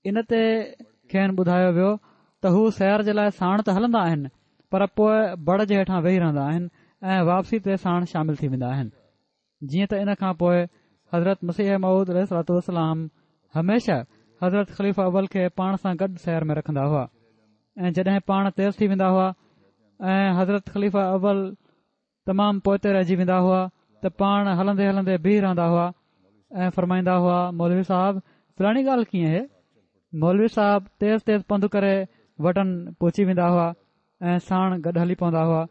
ان تي کين ٻڌايو ويو ته هو سير جي لاء ساڻ ته هلندا آهن پر پوء بڙ جي هيٺان ويهي رهندا آهن ۽ واپسي تي ساڻ شامل ٿي ويندا آهن. جيئن ته ان کان پوء حضرت مسيح موعود عليه الصلوة والسلام هميشه حضرت خليفه اول کي پاڻ سان گڏ سير ۾ رکندا هئا ۽ جڏهن پاڻ تيز ٿي ويندا هئا ۽ حضرت خليفه اول تمام پوئتي رهجي ويندا هئا ته پاڻ هلندي هلندي بيهي رهندا هئا ۽ فرمائيندا هئا مولوي صاحب فلاڻي ڳالهه ڪيئن هي؟ مولوي صاحب تيز تيز پنڌ ڪري وٽن پهچي ويندا هئا ۽ ساڻ گڏ هلي پوندا هئا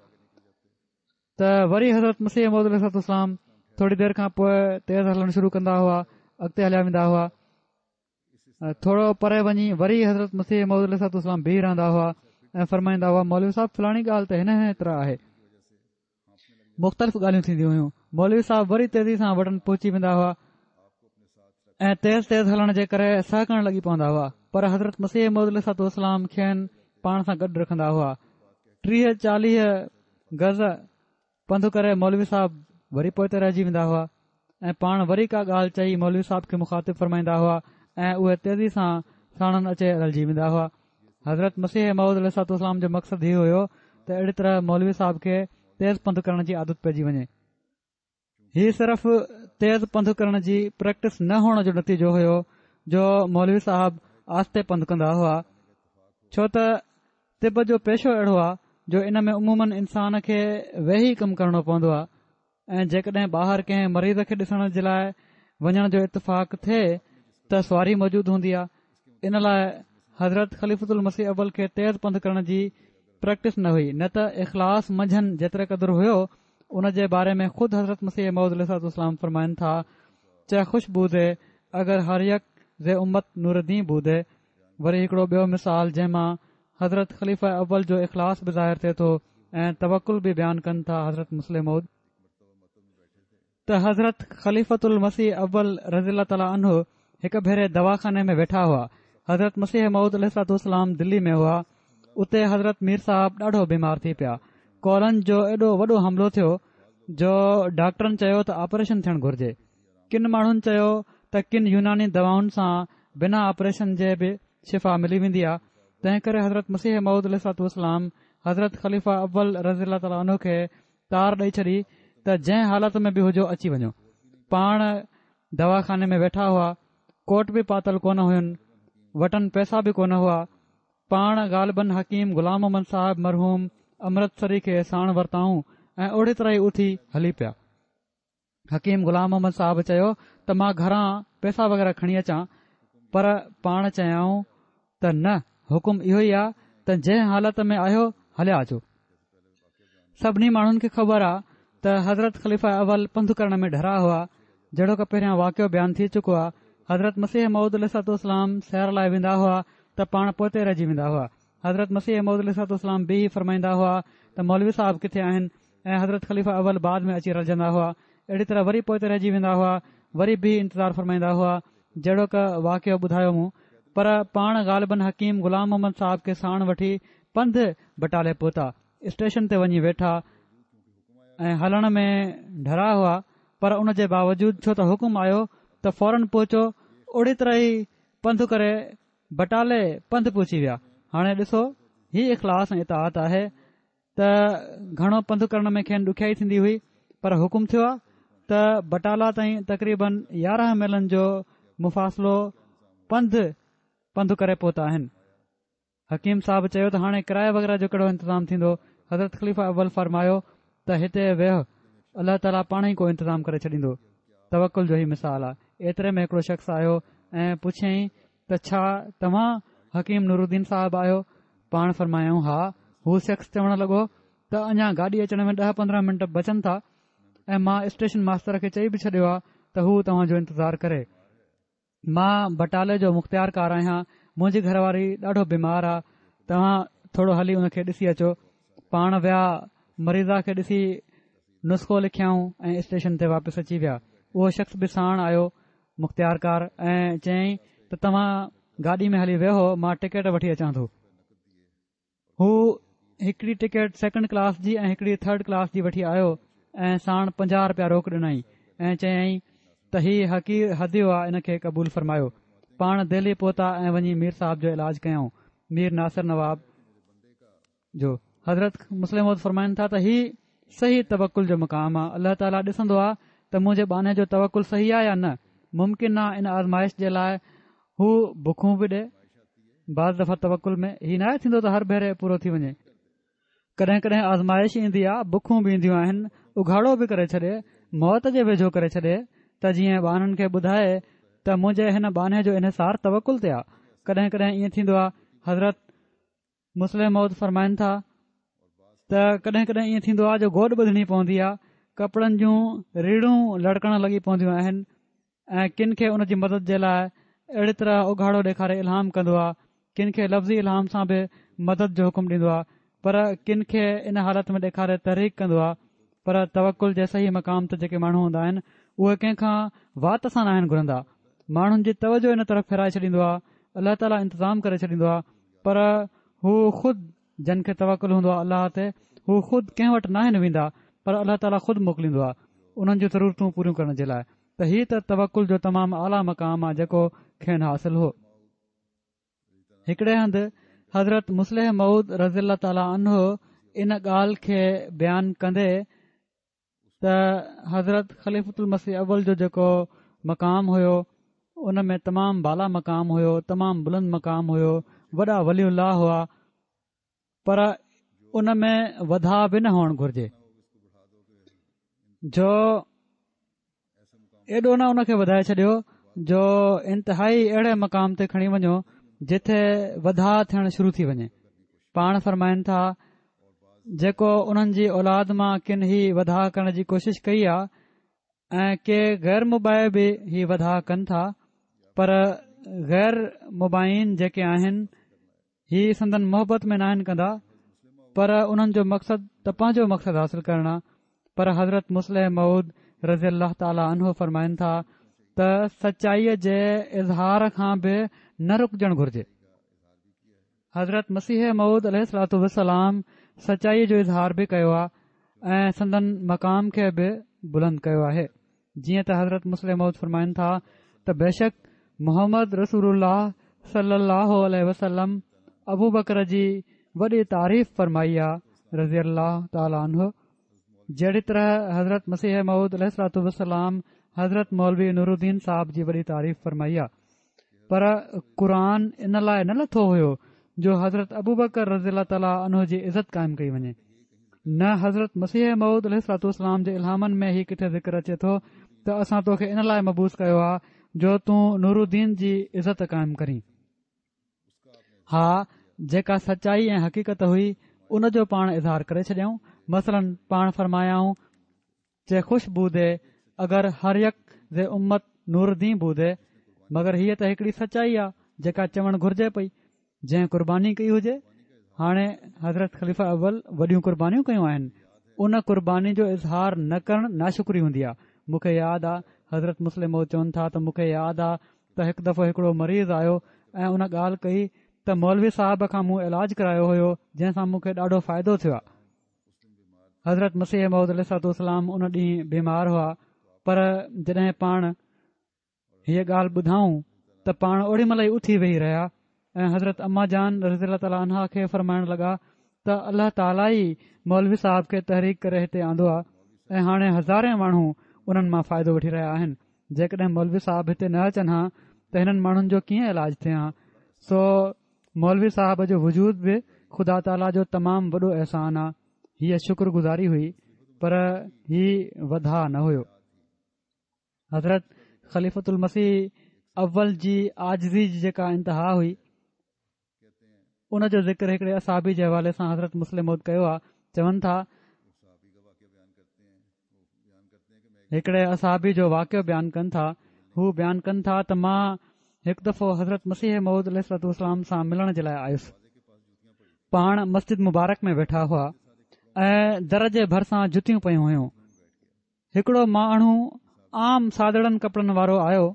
ته وري حضرت مسيح موعود عليه الصلوة والسلام ٿوري دير کان پوء تيز هلڻ شروع ڪندا هئا، اڳتي هليا ويندا هئا، ٿورو پري وڃي وري حضرت مسيح موعود عليه الصلوة والسلام بيهي رهندا هئا ۽ فرمائيندا هئا مولوي صاحب فلاڻي ڳالهه ته هن هن طرح آهي. مختلف ڳالهيون ٿينديون هيون. مولوي صاحب وري تيزي سان وٽن پهچي ويندا هئا ۽ تيز تيز هلڻ جي ڪري سهڪڻ لڳي پوندا هئا پر حضرت مسيح موعود عليه الصلوة والسلام کين پاڻ سان گڏ رکندا هئا. ٽيهه چاليهه گز پنڌ ڪري مولوي صاحب وري پوئتي رهجي ويندا هئا ۽ پاڻ وري ڪا ڳالهه چئي مولوي صاحب کي مخاطب فرمائيندا هئا ۽ اهي تيزي سان ساڻن اچي رلجي ويندا هئا. حضرت مسيح موعود عليه الصلوة والسلام جو مقصد هي هيو ته اهڙي طرح مولوي صاحب کي تيز پنڌ ڪرڻ جي عادت پئجي وڃي. هي صرف تيز پنڌ ڪرڻ جي پريڪٽس نه هئڻ جو نتيجو هيو جو مولوي صاحب آهستي پنڌ ڪندا هئا، ڇو ته طب جو پيشو اهڙو آهي جو ان ۾ عموماً انسان کي ويهي ڪم ڪرڻو پوندو آهي ۽ جيڪڏهن ٻاهر ڪنهن مريض کي ڏسڻ جي لاء وڃڻ جو اتفاق ٿئي ته سواري موجود هوندي آهي. ان لاء حضرت خليفة المسيح اول کي تيز پنڌ ڪرڻ جي پريڪٽس نه هئي، نه ته اخلاص منجهن جيتري قدر هيو ان جي باري ۾ خود حضرت مسيح موعود عليه الصلوة والسلام فرمائن ٿا، چه خوش بودي اگر هر يڪ ز امت نور دين بودي. وري هڪڙو ٻيو مثال جنهن مان حضرت خليفه اول جو اخلاص به ظاهر ٿئي ٿو ۽ توڪل به بيان ڪن ٿا حضرت مصلح موعود ته حضرت خليفة المسيح اول رضي الله تعالٰي عنه هڪ ڀيري دواخاني ۾ ويٺا هئا. حضرت مسيح موعود عليه الصلوة والسلام دلي ۾ هئا. اتي حضرت مير صاحب ڏاڍو بيمار ٿي پيا. ڪولن جو ايڏو وڏو حملو ٿيو جو ڊاڪٽرن چيو ته آپريشن ٿيڻ گهرجي. ڪن ماڻهن چيو ته ڪن يوناني دوائن سان بنا آپريشن جي به شفا ملي ويندي آ. تنهن ڪري حضرت مسيح موعود عليه الصلوة والسلام حضرت خليفه اول رضي الله تعاليٰ عنه کي تار ڏئي ڇڏي ته جنهن حالت ۾ به هجو اچي وڃو. پاڻ دواخاني ۾ ويٺا هئا، ڪوٽ به پاتل ڪونه هين، وٽن پئسا به ڪونه هئا. پاڻ غالباً حڪيم غلام محمد صاحب مرحوم امرتسري کي ساڻ ورتائون ۽ اوڙي طرح ئي اٿي هلي پيا. حڪيم غلام محمد صاحب چيو ته مان گهران پئسا وغيره کڻي اچان، پر پاڻ چيائون ته نه، حڪم اهو ئي آهي ته جنهن حالت ۾ آهيو هليا اچو. سڀني ماڻهن کي خبر آهي ته حضرت خليفه اول پنڌ ڪرڻ ۾ ڍرا هئا، جهڙوڪ پهريان واقعو بيان ٿي چڪو آهي. حضرت مسيح موعود عليه الصلوة والسلام سير لاء ويندا هئا ته پاڻ پوئتي رهجي ويندا هئا. حضرت مسيح موعود عليه الصلوة والسلام بيهي فرمائيندا هئا ته مولوي صاحب ڪٿي آهن، ۽ حضرت خليفه اول بعد ۾ اچي رلجندا هئا. اهڙي طرح وري پوئتي رهجي ويندا هئا، وري بيهي انتظار فرمائيندا هئا، جهڙوڪ واقعو ٻڌايو مون. پر پاڻ غالباً حڪيم غلام محمد صاحب کي ساڻ وٺي پنڌ بٽالي پهتا. اسٽيشن تي وڃي ويٺا ۽ هلڻ ۾ ڍرا هئا، پر ان جي باوجود ڇو ته حڪم آيو ته فورن پهچو، اوڙي طرح ئي پنڌ ڪري بٽالي پنڌ پهچي ويا. هاڻي ڏسو، هي اخلاص ۽ اطاعت آهي ته گهڻو پنڌ ڪرڻ ۾ کين ڏکيائي ٿيندي هئي، پر حڪم ٿيو آهي ته بٽالا تائين تقريبن يارهن ميلن جو مفاصلو پنڌ پنڌ ڪري پهتا آهن. حڪيم صاحب چيو ته هاڻي ڪرائي وغيره جو ڪهڙو انتظام ٿيندو؟ حضرت خليفه اول فرمايو ته هتي ويهه، الله تعاليٰ پاڻ ئي ڪو انتظام ڪري ڇڏيندو. توڪل جو هي مثال آهي. ايتري ۾ هڪڙو شخص آيو ۽ پڇيائين ته ڇا توهان حڪيم نورالدين صاحب آهيو؟ پاڻ فرمايائون ها. هو شخص چوڻ لڳو ته اڃا گاڏي اچڻ ۾ ڏهه پندرهن منٽ بچن ٿا ۽ مان اسٽيشن ماستر کي چئي به ڇڏيو آهي ته هو توهان جو انتظار ڪري. مان بٽالي جو مختيار ڪار آهيان، منهنجي گهر واري ڏاڍو بيمار آهي، توهان ٿورو هلي ان کي ڏسي اچو. پاڻ ويا، مريضا کي ڏسي نسخو لکيائون ۽ اسٽيشن تي واپس اچي ويا. اهو شخص به ساڻ آيو مختيار ڪار ۽ چيائين ته توهان گاڏي ۾ هلي ويهو، مان ٽڪيٽ وٺي اچان ٿو. هو هڪڙي ٽڪيٽ سيڪنڊ ڪلاس جي ۽ هڪڙي ٿرڊ ڪلاس جي وٺي آيو ۽ ساڻ پنجاهه رپيا روڪ ڏنائين ۽ چيائين ته هي حقير هديو آ، ان کي قبول فرمايو. پاڻ دهلي پهتا ۽ وڃي مير صاحب جو علاج ڪيائون، مير ناصر نواب جو. حضرت مصلح موعود فرمائن ٿا ته هي صحيح توڪل جو مقام آ. الله تعاليٰ ڏسندو آ ته منهنجي ٻانهي جو توڪل صحيح آ يا نه. ممڪن آ ان آزمائش جي لاء هو بکون به ڏي. بعض دفعا توڪل ۾ هي ناهي ٿيندو ته هر ڀيري پورو ٿي وڃي. ڪڏهن ڪڏهن آزمائش ايندي آ، بکون به اينديون آهن، اگهاڙو به ڪري ڇڏي، موت جي ويجهو ڪري ڇڏي ته جيئن ٻانهن کي ٻڌائي ته منهنجي هن ٻانهي جو انحصار توڪل تي آ. ڪڏهن ڪڏهن ائين ٿيندو آ. حضرت مصلح موعود فرمائن ٿا ته ڪڏهن ڪڏهن ائين ٿيندو آ جو گوڏ ٻڌڻي پوندي آ، ڪپڙن جون ريڙون لڙڪڻ لڳي پونديون آهن ۽ ڪن کي ان جي مدد جي لاء اهڙي طرح اگهاڙو ڏيکاري الهام ڪندو آ، ڪن کي لفظي الهام سان به مدد جو حڪم ڏيندو آ، پر ڪن کي ان حالت ۾ ڏيکاري تحريڪ ڪندو آ. پر توڪل جي صحيح مقام تي جيڪي ماڻهو هوندا آهن اهي ڪنهن کان وات سان ناهن گهرندا، ماڻهن جي توجه ان طرف ڦيرائي ڇڏيندو آ، الله تعاليٰ انتظام ڪري ڇڏيندو آ. پر هو خود جن کي توڪل هوندو آ الله تي، هو خود ڪنهن وٽ ناهن ويندا، پر الله تعاليٰ خود موڪليندو آ انهن جون ضرورتون پوريون ڪرڻ جي لاء. ته هي ته توڪل جو تمام اعليٰ مقام آ جيڪو کين حاصل هو. هڪڙي هنڌ حضرت مصلح موعود رضي الله تعاليٰ عنه ان ڳالهه کي بيان ڪندي ته حضرت خليفة المسيح اول جو جيڪو مقام هيو ان ۾ تمام بالا مقام هيو، تمام بلند مقام هيو، وڏا ولي الله هئا، پر ان ۾ وڌاء به نه هئڻ گهرجي جو ايڏو نه ان کي وڌائي ڇڏيو جو انتهائي اهڙي مقام تي کڻي وڃو جتي وڌاء ٿيڻ شروع ٿي وڃي. پاڻ فرمائن ٿا جيڪو انهن جي اولاد مان ڪن هي وڌاء ڪرڻ جي ڪوشش ڪئي آ ۽ ڪي غير مبايع به هي وڌاء ڪن ٿا، پر غير مبايعين جيڪي آهن هي سندن محبت ۾ ناهن ڪندا، پر انهن جو مقصد ته پنهنجو مقصد حاصل ڪرڻ آ. پر حضرت مصلح موعود رضي الله تعاليٰ عنه فرمائن ٿا ته سچائيء جي اظهار کان به نه رڪجڻ گهرجي. حضرت مسيح موعود عليه الصلوة والسلام سچائيء جو اظهار به ڪيو آ ۽ سندن مقام کي به بلند ڪيو آهي. جيئن ته حضرت مصلح موعود فرمائن ٿا ته بيشڪ محمد رسول الله صلي الله عليه وسلم ابو بڪر جي وڏي تعريف فرمائي آ رضي الله تعالٰي عنه. جهڙي طرح حضرت مسيح موعود عليه الصلوة والسلام حضرت مولوي نورالدين صاحب جي وڏي تعريف فرمائي آ. پر قرآن ان لاءِ نه لٿو هيو جو حضرت ابوبڪر رضي الله تعالٰي عنه جي عزت قائم ڪئي وڃي، نه حضرت مسيح موعود عليه الصلوة والسلام جي الهامن ۾ هي ڪٿي ذڪر اچي ٿو ته اسان توکي ان لاءِ مبعوث ڪيو آ جو تون نورالدين جي عزت قائم ڪرين. ها، جيڪا سچائي ۽ حقيقت هئي ان جو پاڻ اظهار ڪري ڇڏيائون. مثلاً پاڻ فرمايائون چه خوش بودي اگر هر يڪ ز امت نورالدين بودي، مگر هيءَ ته هڪڙي سچائي آ جيڪا چوڻ گهرجي پئي، جنهن قرباني ڪئي هجي. هاڻي حضرت خليفه اول وڏيون قربانيون ڪيون آهن، ان قرباني جو اظهار نه ڪرڻ ناشڪري هوندي آ. مون کي ياد آ حضرت مصلح موعود چون ٿا ته مون کي ياد آ ته هڪ دفعو هڪڙو مريض آيو ۽ ان ڳالهه ڪئي ته مولوي صاحب کان مون علاج ڪرايو هيو جنهن سان مون کي ڏاڍو فائدو ٿيو آ. حضرت مسيح موعود عليه الصلوة والسلام ان ڏينهن بيمار هئا، پر جڏهن پاڻ هيءَ ڳالهه ٻڌائون ته پاڻ اوڏي مهل ئي اٿي ويهي رهيا ۽ حضرت اما جان رضي الله تعالٰي عنها کي فرمائڻ لڳا ته الله تعاليٰ ئي مولوي صاحب کي تحريڪ ڪري هتي آندو آ ۽ هاڻي هزارين ماڻهو انهن مان فائدو وٺي رهيا آهن. جيڪڏهن مولوي صاحب هتي نه اچن ها ته هنن ماڻهن جو ڪيئن علاج ٿئي ها. سو مولوي صاحب جو وجود به خدا تعاليٰ جو تمام وڏو احسان آ. هيءَ شڪر گذاري هئي، پر هي وڌاءُ نه هيو. حضرت خليفة المسيح اول جي عاجزي جي جيڪا انتها هئي ان جو ذڪر هڪڙي اصحابي جي حوالي سان حضرت مصلح موعود ڪيو آ. چون ٿا هڪڙي اصحابي جو واقعو بيان ڪن ٿا. هو بيان ڪن ٿا ته مان هڪ دفعو حضرت مسيح موعود عليه الصلوة والسلام سان ملڻ جي لاءِ آيس. پاڻ مسجد مبارڪ ۾ ويٺا هئا ۽ در جي ڀرسان جتيون پيون هيون. هڪڙو ماڻهو عام سادڙن ڪپڙن وارو آيو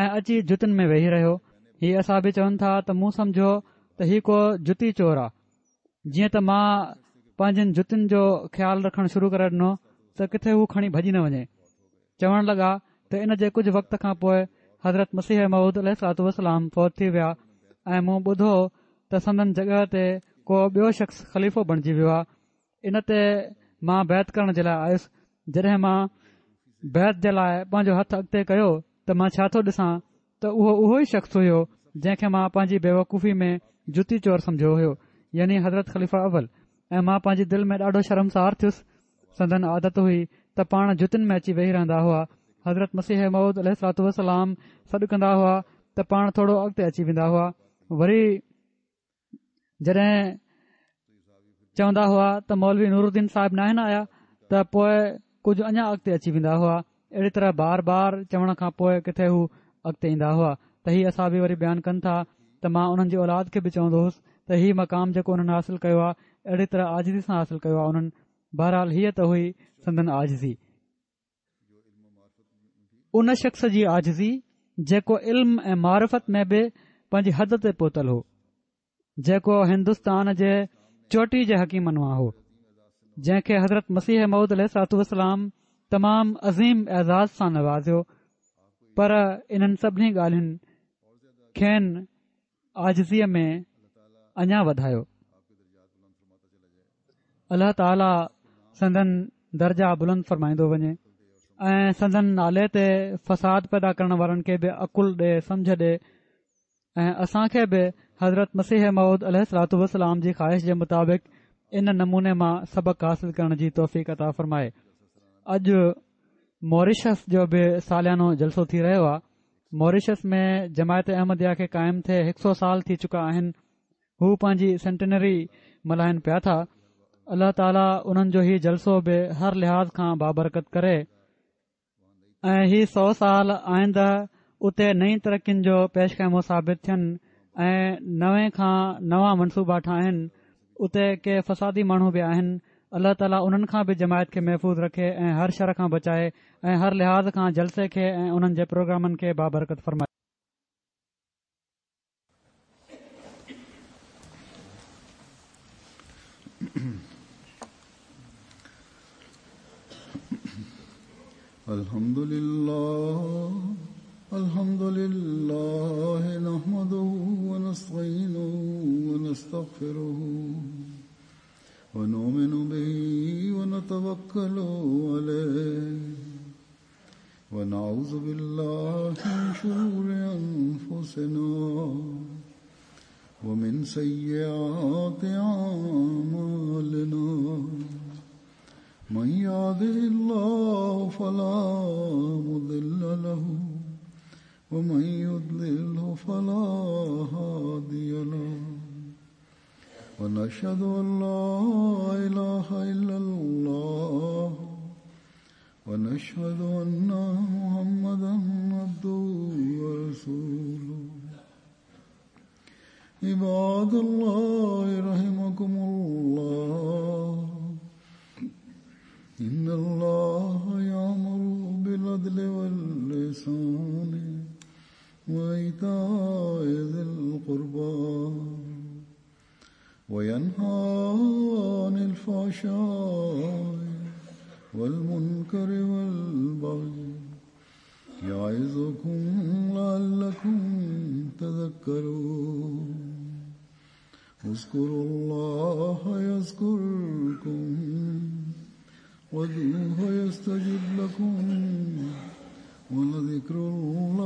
۽ اچي جتين ۾ ويهي رهيو. هي اصحابي چون ٿا ته مون سمجهيو ته هي ڪو جتي چور آ. جيئن ته مان پنهنجن جتين جو خيال رکڻ شروع ڪري ڏنو ته ڪٿي هو کڻي ڀڄي نه وڃي. چوڻ لڳا ته ان جي ڪجهه وقت کان پوءِ حضرت مسيح موعود عليه الصلوة والسلام فوت ٿي ويا ۽ مون ٻڌو ته سندن جڳهه تي ڪو ٻيو شخص خليفو بڻجي ويو آ. ان تي مان بيعت ڪرڻ جي لاءِ آيس. جڏهن مان بيعت جي لاءِ پنهنجو هٿ اڳتي ڪيو ته مان ڇا ٿو ڏسان ته اهو اهو ئي شخص هيو جنهن کي مان پنهنجي بيوقوفي ۾ جتي چور سمجهيو هيو، يعني حضرت خليفه اول. ۽ مان پنهنجي دل ۾ ڏاڍو شرمسار ٿيس. سندن عادت هئي ته پاڻ جتين ۾ اچي ويهي رهندا هئا. حضرت مسيح موعود عليه الصلوة والسلام سڏ ڪندا هئا ته پاڻ ٿورو اڳتي اچي ويندا هئا. وري جڏهن چوندا هئا ته مولوي نورالدين صاحب ناهن آيا ته پوءِ ڪجهه اڃا اڳتي اچي ويندا هئا. اهڙي طرح بار بار چوڻ کان پوءِ ڪٿي هو اڳتي ايندا هئا. ته هي اصحابي وري بيان ڪن ٿا ته مان انهن جي اولاد کي به چوندو هوس ته هي مقام جيڪو انهن حاصل ڪيو آهي اهڙي طرح عاجزي سان حاصل ڪيو آهي انهن. بهرحال هيءَ ته هئي سندن عاجزي. ان شخص جي عاجزي جيڪو علم ۽ معرفت ۾ به پنهنجي حد تي پهتل هو، جيڪو هندستان جي چوٽي جي حڪيمن مان هو، جنهن کي حضرت مسيح موعود عليه الصلوة والسلام تمام عظيم اعزاز سان نوازيو، پر انهن سڀني ڳالهين کين عاجزيءَ ۾ اڃا وڌايو. الله تعاليٰ سندن درجا بلند فرمائيندو وڃي ۽ سندن نالي تي فساد پيدا ڪرڻ وارن کي به عقل ڏي، سمجهه ڏي ۽ اسان کي به حضرت مسيح موعود عليه الصلوة والسلام جي خواهش جي مطابق ان نموني مان سبق حاصل ڪرڻ جي توفيق عطا فرمائي. اڄ موريشس جو به ساليانو جلسو ٿي رهيو آهي. موريشس ۾ جماعت احمديه کي قائم ٿئي هڪ سؤ سال ٿي چڪا آهن. هو پنهنجي سينٽينري ملهائن پيا ٿا. الله تعاليٰ انهن جو هي جلسو به هر لحاظ کان بابرڪت ڪري ۽ هي سؤ سال آئنده اتي نئين ترقين جو پيش خيمو ثابت ٿين ۽ نوي کان نوان منصوبا ٺاهن. اتي ڪي فسادي ماڻهو به آهن. الله تعاليٰ انهن کان به جماعت کي محفوظ رکي ۽ هر شر کان بچائي ۽ هر لحاظ کان جلسي کي ۽ انهن جي پروگرامن کي بابرڪت فرمائي. الحمد لله الحمد لله نحمده ونستعينه ونستغفره ونؤمن به ونتوكل عليه ونعوذ بالله من شرور أنفسنا ومن سيئات أعمالنا من يهده الله فلا مضل له ومن يضلله فلا هادي له ونشهد أن لا إله إلا الله ونشهد أن محمدا عبده ورسوله. عباد الله رحمكم الله، إن الله يأمر بالعدل والإحسان وإيتاء ذي القربى وينهى عن الفحشاء والمنكر والبغي يعظكم لعلكم تذكرون. اذكروا الله يذكركم وادعوه يستجب لكم ولذكر الله